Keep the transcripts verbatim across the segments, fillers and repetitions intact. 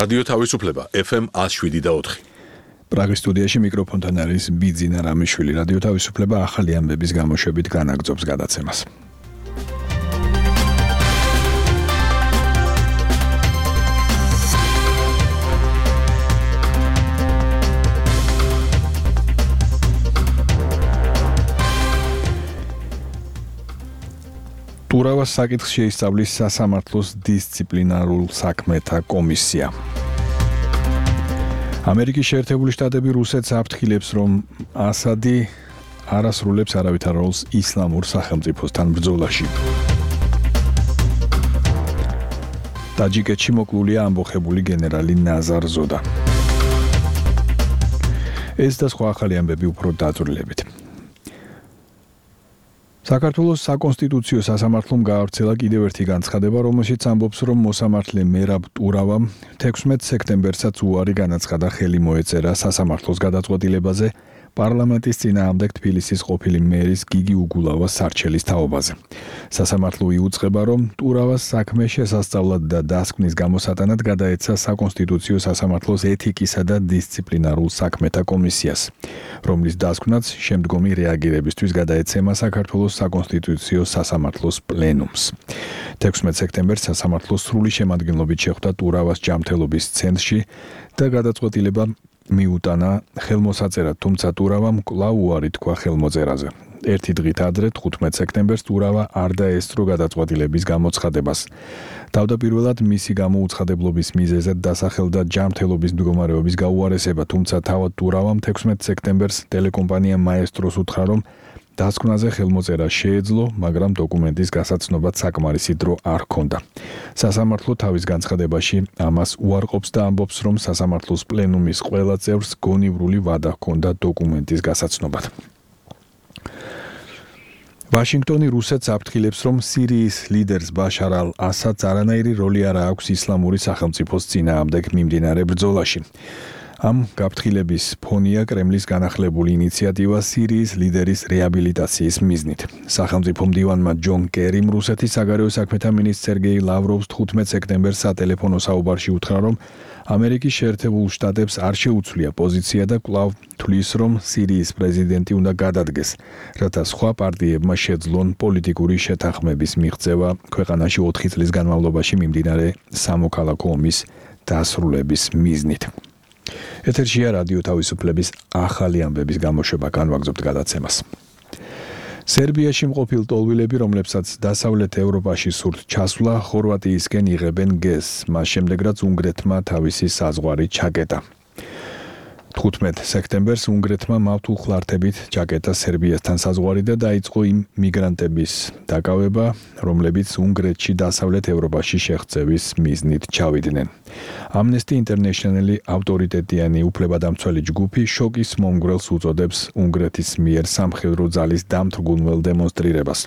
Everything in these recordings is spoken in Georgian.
რადიო თავისუფლება ეფ ემ one oh seven და four. პრაღის სტუდიაში მიკროფონთან არის ბიძინა რამიშვილი. რადიო თავისუფლება ახალი ამბების გამოშვებით განაგრძობს გადაცემას. ტურავას საკითხს შეისწავლის სასამართლოს დისციპლინარულ საქმეთა კომისია. ამერიკის შეერთებული შტატები რუსეთს აფრთხილებს, რომ ასადი არ ასრულებს არავითარ როლს ისლამურ სახელმწიფოსთან ბრძოლაში. ტაჯიკეთში მოკლულია ამბოხებული გენერალი ნაზარ ზოდა. ეს და სხვა ახალი ამბები უფრო დაწვრილებით. საქართველოს საკონსტიტუციო სასამართლომ გაავრცელა კიდევ ერთი განცხადება, რომელშიც ამბობს, რომ მოსამართლე მერაბ ტურავამ თექვსმეტ სექტემბერსაც უარი განაცხადა ხელი მოეწერა სასამართლოს გადაწყვეტილებაზე პარლამენტის წინააღმდეგ თბილისის ყოფილი მერის გიგი უგულავას სარჩელის თაობაზე. სასამართლო იუწყება, რომ ტურავას საქმე შესასწავლად და დასკვნის გამოსატანად გადაეცა საკონსტიტუციო სასამართლოს ეთიკისა და დისციპლინარულ საქმეთა კომისიას, რომლის დასკვნაც შემდგომი რეაგირებისთვის გადაეცემა საქართველოს საკონსტიტუციო სასამართლოს პლენუმს. თექვსმეტ სექტემბერს სასამართლო სრული შემადგენლობით შეხვდა ტურავას ჯანმრთელობის ცენტრში და გადაწყვეტილება მიუტანა ხელმოსაწერად, თუმცა ტურავამ კვლავ უარი თქვა ხელმოწერაზე. ერთი დღით ადრე თხუთმეტ სექტემბერს ტურავა არ დაესწრო გადაწყვეტილების გამოცხადებას. თავდაპირველად მისი გამოუცხადებლობის მიზეზად დასახელდა ჯანმრთელობის მდგომარეობის გაუარესება, თუმცა თავად ტურავამ თექვსმეტ სექტემბერს ტელეკომპანია მაესტროს უთხრა, რომ დასკვნაზე ხელმოწერა შეეძლო, მაგრამ დოკუმენტის გასაცნობად საკმარისი დრო არ ჰქონდა. სასამართლო თავის განცხადებაში ამას უარყოფს და ამბობს, რომ სასამართლოს პლენუმის ყველა წევრს გონივრული ვადა ჰქონდა დოკუმენტის გასაცნობად. ვაშინგტონი რუსეთს აფრთხილებს, რომ სირიის ლიდერს ბაშარ ალ-ასადს არანაირი როლი არ აქვს ისლამური სახელმწიფოს წინააღმდეგ მიმდინარე ბრძოლაში. ამ გაფრთხილების ფონია კრემლის განახლებული ინიციატივა სირიის ლიდერის რეაბილიტაციის მიზნით. სახელმწიფო მდივანმა ჯონ კერიმ რუსეთის საგარეო საქმეთა მინისტრ სერგეი ლავროვს თხუთმეტ სექტემბერს სატელეფონო საუბარში უთხრა, რომ ამერიკის შეერთებულ შტატებს არ შეუცვლია პოზიცია და კვლავ თვლის, რომ სირიის პრეზიდენტი უნდა გადადგეს, რათა სხვა პარტიებმა შეძლონ პოლიტიკური შეთანხმების მიღწევა ქვეყანაში ოთხი წლის განმავლობაში მიმდინარე სამოქალაქო ომის დასრულების მიზნით. ეთერშია რადიო თავისუფლების ახალი ამბების გამოშვება, განვაგრძობთ გადაცემას. სერბიაში მყოფილ ტოლვილები, რომლებსაც დასავლეთ ევროპაში სურთ ჩასვლა, ხორვატიისკენ იღებენ გეზს, მას შემდეგ რაც უნგრეთმა თავისი საზღვარი ჩაკეტა. თხუთმეტ სექტემბერს უნგრეთმა მავთულხლართებით ჩაკეტა სერბიასთან საზღვარი და დაიწყო იმ მიგრანტების დაკავება, რომლებიც უნგრეთში დასავლეთ ევროპაში შეღწევის მიზნით ჩავიდნენ. Amnesty International-ი ავტორიტეტიანი უფლებადამცველი ჯგუფი შოკის მომგვრელს უწოდებს უნგრეთის მიერ სამხედრო ძალის დამთრგუნველ დემონსტრირებას,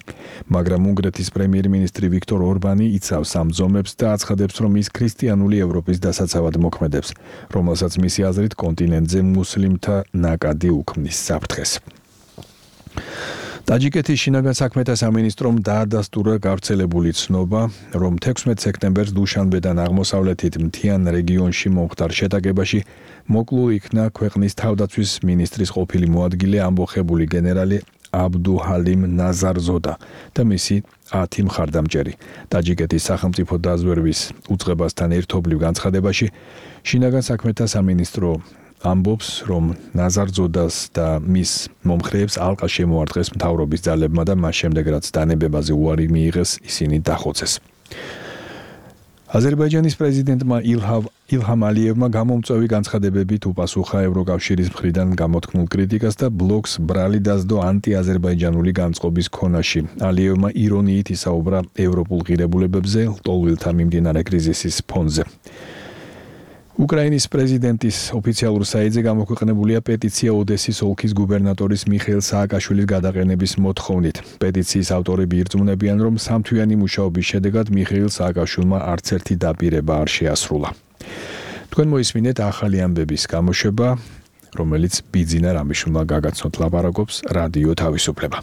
მაგრამ უნგრეთის პრემიერ-მინისტრი ვიქტორ ორბანი იცავს ამ ზომებს და აცხადებს, რომ ის ქრისტიანული ევროპის დასაცავად მოქმედებს, რომელსაც მისი აზრით კონტინენტზე მუსლიმთა ნაკადი უქმნის საფრთხეს. ტაჯიკეთის შინაგან საქმეთა სამინისტრომ დაადასტურა გავრცელებული ცნობა, რომ თექვსმეტ სექტემბერს დუშანბედან აღმოსავლეთით მთიან რეგიონში მომხდარ შეტაკებაში მოკლულ იქნა ქვეყნის თავდაცვის მინისტრის ყოფილი მოადგილე ამბოხებული გენერალი აბდუჰალიმ ნაზარ ზოდა და მისი ათი მხარდამჭერი. ტაჯიკეთის სახელმწიფო დაზვერვის უწყებასთან ერთობლივ განცხადებაში შინაგან საქმეთა სამინისტრო ამბობს, რომ ნაზარ ზოდას და მის მომხრეებს ალყა შემოარტყეს მთავრობის ძალებმა და მას შემდეგ რაც დანებებაზე უარი მიიღეს, ისინი დახოცეს. აზერბაიჯანის პრეზიდენტმა ილჰამ ალიევმა გამომწვევი განცხადებებით უპასუხა ევროკავშირის მხრიდან გამოთქმულ კრიტიკას და ბლოკს ბრალი დასდო ანტიაზერბაიჯანული განწყობის ქონაში. ალიევმა ირონიით ისაუბრა ევროპულ ღირებულებებზე ლტოლვილთა მიმდინარე კრიზისის ფონზე. უკრაინის პრეზიდენტის ოფიციალურ საიტზე გამოქვეყნებულია პეტიცია ოდესის ოლქის გუბერნატორის მიხეილ სააკაშვილის გადაყენების მოთხოვნით. პეტიციის ავტორები ირწმუნებიან, რომ სამთვიანი მუშაობის შედეგად მიხეილ სააკაშვილმა არც ერთი დაპირება არ შეასრულა. თქვენ მოისმინეთ ახალი ამბების გამოშვება, რომელიც ბიძინა რამიშვილმა გაგაცნოთ, ლაპარაკობს რადიო თავისუფლება.